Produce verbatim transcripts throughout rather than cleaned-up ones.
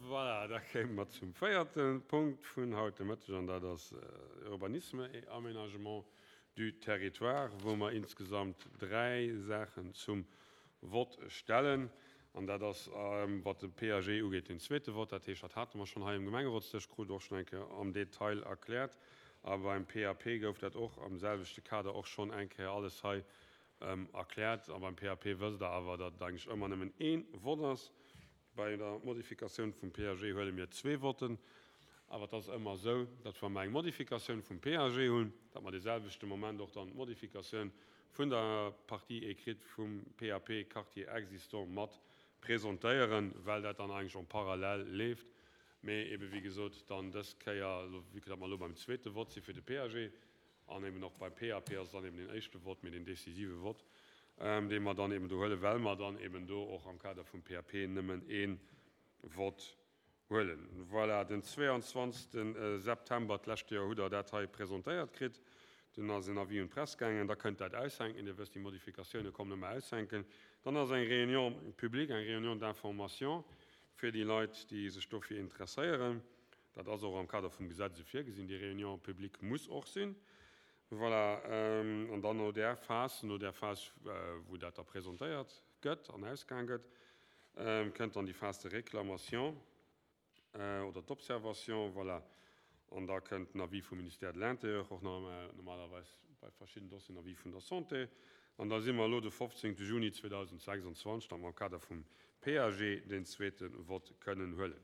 Voilà, da kéime mer zum véierte Punkt vun haut de Mëtteg, an dat ass Urbanisme et Aménagement du territoire, wou mer insgesamt dräi Saachen zum Vott stellen. An dat ass, wat de P A G ugeet, den zweete Vott. Dat heescht, dat hate mer schonn hei um Gemengerotsdësch krut, och schonn eng Kéier am Detail erkläert. A beim P A P gouf dat och am selwechte Kader och schonn eng Kéier alles hei erkläert. A beim P A P wësst Der awer, datt et eigentlech ëmmer nëmmen ee Vott ass. Bei der Modifikatioun vum P A G huele mir zwee Votten. Awer et ass ëmmer esou, datt, wa mer eng Modifikatioun vum P A G hunn, datt mer de selwechte Moment och dann d'Modifikatioun vun der Partie écrite vum P A P Quartier existant mat presentéieren, well dat dann eigentlech en parallèle leeft. Mee ebe wéi gesot, dann dës Kéier, vue que datt mer elo beim zweete Vott si fir de P A G an eben och beim P A P ass dann eben den éischte Vott, mee den decisive Vott, dee mer dann eben do huelen, well mer dann eben do och am Kader vum P A P nëmmen ee Vott huelen. Voilà, den zwéianzwanzegste September d'lescht Joer hutt Der dat hei presentéiert kritt. Dunn ass en Avis un d'Press gaangen, da kënnt dat aushänken. Dir wësst, déi Modifikatioune kommen ëmmer aushänken. Dann ass eng Réunion publique, eng Réunion d'information fir déi Leit, déi sech dofir interesséieren. Dat ass och am Kader vum Gesetz esou virgesinn. Déi Réunion publique muss och sinn. Voilà, an dann no där Phas, no där Phas, wou dat da presentéiert gëtt an ausgaang gëtt, kënnt dann déi Phase de réclamation oder d'observation. Voilà. An da kënnt den Avis vum Ministère de l'Intérieur, och normalerweis bei verschiddenen Dossieren Avis vun der Santé. An da si mer elo de fofzéngte Juni zweedausendsechsundzwanzeg, datt mer am Kader vum P A G den zweete Vott kënnen huelen.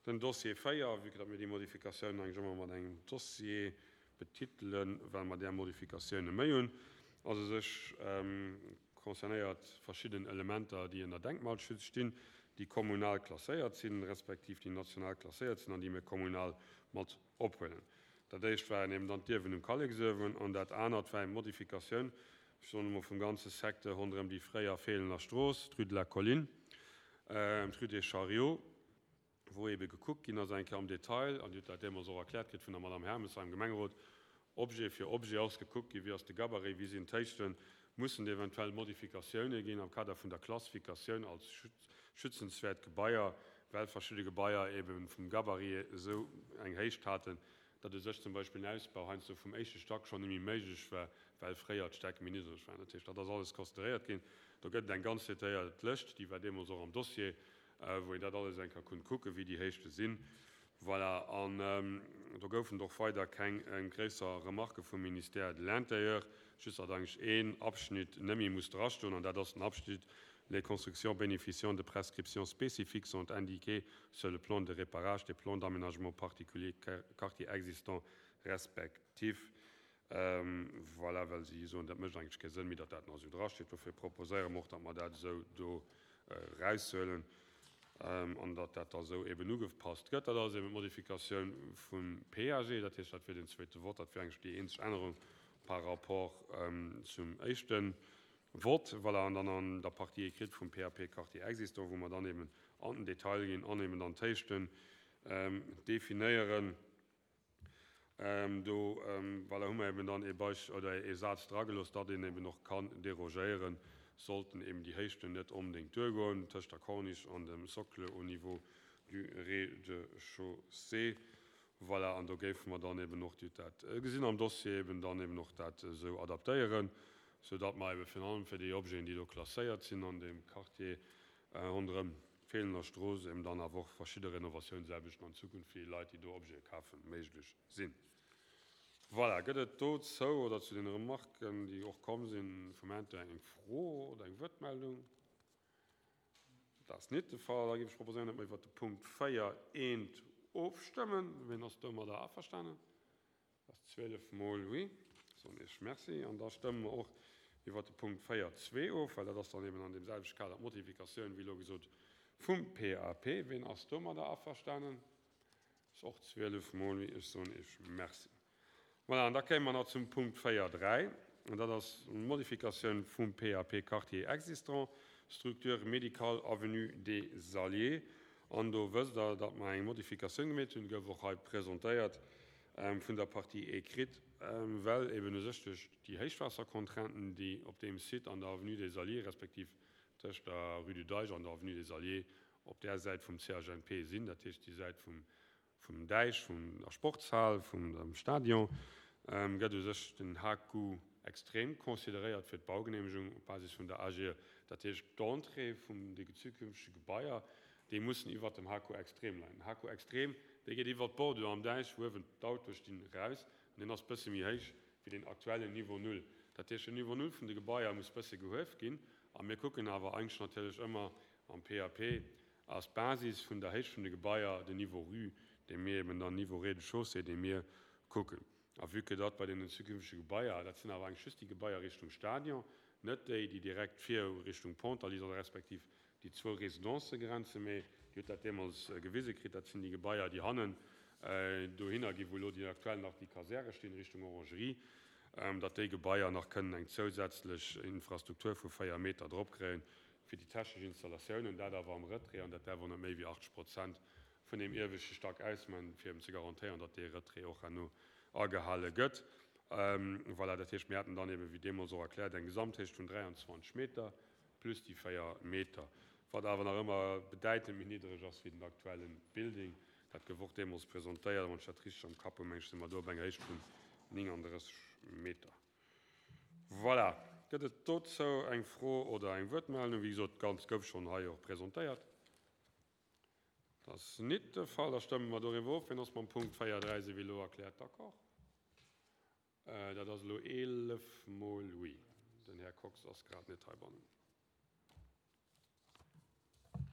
Den Dossier véier, vue que datt mir déi Modifikatiounen eigentlech ëmmer mat engem Dossier betitelen, well mer där Modifikatioune méi hunn, ass u sech concernéiert verschidden Elementer, déi ënner Denkmalschutz stinn, déi kommunal klasséiert sinn, respektiv déi national klasséiert sinn an déi mir kommunal mat ophuelen. Dat éischt waren eben dann d'Ierwen um Kalleksuewen an dat anert war eng Modifikatioun, ech soen emol, vum ganze Secteur ronderëm déi fréier Feelener Strooss, d'Rue de la Colline, d'Rue des Chariots, wou ebe gekuckt ginn ass eng Kéier am Detail, an Dir hutt dat deemools och erkläert kritt vun der Madame Hermes hei am Gemengerot, Objet fir Objet ass gekuckt ginn, wéi ass de Gabarit, wéi sinn d'Héichten, mussen et eventuell Modifikatioune ginn am Kader vun der Klassifikatioun als schützenswäert Gebaier, well verschidde Gebaier ebe vum Gabarit esou eng Héicht haten, datt u sech zum Beispill en Ausbau heiansdo vum éischte Stack schonn net méi méiglech war, well fréier d'Stäck méi niddreg waren. Dat heescht, dat ass alles consideréiert ginn. Do gëtt et eng ganz detailléiert Lëscht, déi war deemools och am Dossier, wou een dat alles eng Kéier konnt kucken, wéi déi Héichte sinn. Voilà, an do goufen et och weider keng gréisser Remarquë vum Ministère de l'Intérieur, just datt eigentlech een Abschnitt net méi muss drastoen, an dat ass den Abschnitt "Les constructions bénéficiant de prescriptions spécifiques sont indiquées sur le plan de réparage des plans d'aménagement particulier quartier existant respectif". Voilà, well si soen, dat mécht eigentlech kee Sënn méi, datt dat nach esou drasteet. Dofir proposéiere mer och, datt mer dat esou do eraushuelen an datt dat da esou eben ugepasst gëtt. Dat ass eben d'Modifikatioun vum P A G, dat heescht, dat wier den zweete Vott, dat wier eigentlech déi eenzeg Ännerung par rapport zum éischte Vott. Voilà, an dann an der Partie écrite vum P A P Quartier existant, wou mer dann eben an den Detail ginn an eben dann d'Héichten definéieren. Do, voilà, hu mer eben dann ee Beisch oder ee Saz dragelooss, datt een eben och kann derogéieren, sollten eben déi Héichten net onbedéngt duergoen, tëscht der Corniche an dem Socle au niveau du rez-de-chaussée. Voilà, an do géife mer dann eben och, déi dat gesinn am Dossier, eben dann eben och dat esou adaptéieren, soudatt mer eben virun allem fir déi Objeten, déi do klasséiert sinn an deem Quartier ronderëm d'Feelener Strooss, eben dann awer och verschidde Renovatiounsaarbechten an Zukunft fir déi Leit, déi do Objete kafen, méiglech sinn. Voilà, gëtt et dozou oder zu den Remarken, déi och komm sinn, vum Inter eng Fro oder eng Wuertmeldung? Dat ass net de Fall. Da géif ech proposéieren, datt mer iwwert de Punkt véier eent ofstëmmen. Wien ass domadder averstanen? Dat ass zwielef Mol oui. Soen Iech Merci. An da stëmme mer och iwwert de Punkt véier zwee of, well dat ass dann eben an deem selwechte Kader d'Modifikatioun, wéi elo gesot, vum P A P. Wien ass domadder averstanen? Dat ass och zwielef Mol oui. Ech soen Iech Merci. Voilà, an da kéime mer nach zum Punkt véier dräi. An dat ass d'Modifikatioun vum P A P Quartier existant, Structure médicale avenue des Alliés. An do wësst Der, datt mer eng Modifikatioun gemeet hunn, gouf och hei presentéiert vun der Partie écrite, well eben u sech duerch déi Héichwaassercontrainten, déi op deem Site an der avenue des Alliés, respektiv tëscht der rue du Deich an der avenue des Alliés op där Säit vum C H N P sinn, dat heescht déi Säit vum, vum Däich, vun der Sportshal, vum dem Stadion, ähm, gëtt u sech den H Q extrem consideréiert fir d'Baugeneemegung op Basis vun der A G E. Dat heescht, d'Entrée vun de zukünftege Gebaier, déi mussen iwwer dem H Q extrem leien. H Q extrem, dee geet iwwer d'Bordure am Däich, wou uewen d'Autoe stinn, eraus, an deen ass e bësse méi héich wéi den aktuellen Niveau null. Dat heescht, den Niveau null vun de Gebaier muss e bësse gehuewe ginn, a mir kucken awer eigentlech natierlech ëmmer am P A P als Basis vun der Héicht vun de Gebaier den Niveau Rue, dee mir eben dann Niveau Rez-de-chaussée, dee mir kucken. A vue que dat bei den zukünftege Gebaier, dat sinn awer eigentlech just déi Gebaier Richtung Stadion, net déi, déi direkt vir Richtung Pontalize oder respektiv déi zwou Residencë grenzen, mee Dir hutt dat deemools gewise kritt, dat sinn déi Gebaier, déi hannen dohinner ginn, wou elo déi aktuell nach déi Kasäre stinn, Richtung Orangerie, datt déi Gebaier nach kënnen eng zousätzlech Infrastruktur vu véier Meter drop kréien, fir déi technesch Installatiounen, dat awer am Retrait, an dat däerf och net méi wéi achtzeg Prozent vun deem ieweschte Stack ausmaachen, fir eben ze garantéieren, datt dee Retrait och herno agehale gëtt. Voilà, dat heescht, mir haten dann eben, wéi deemools och erkläert, eng Gesamthéicht vun dräianzwanzeg Meter plus déi véier Meter, wat awer nach ëmmer bedäitend méi niddreg ass wéi den aktuelle Building. Dat gouf och deemools presentéiert, wann ech dat richteg am Kapp hunn, meng ech, si mer do op enger Héicht vun nienunddrësseg Meter. Voilà. Gëtt et dozou eng Fro oder eng Wuertmeldung? Wéi gesot, dat Ganzt gouf schonn hei och presentéiert. Dat ass net de Fall. Da stëmme mer doriwwer of. Wien ass mam Punkt véier Punkt dräi, sou wéi elo erkläert, d'accord? Dat ass elo eelef mol oui. Den Här Kox ass grad net heibannen.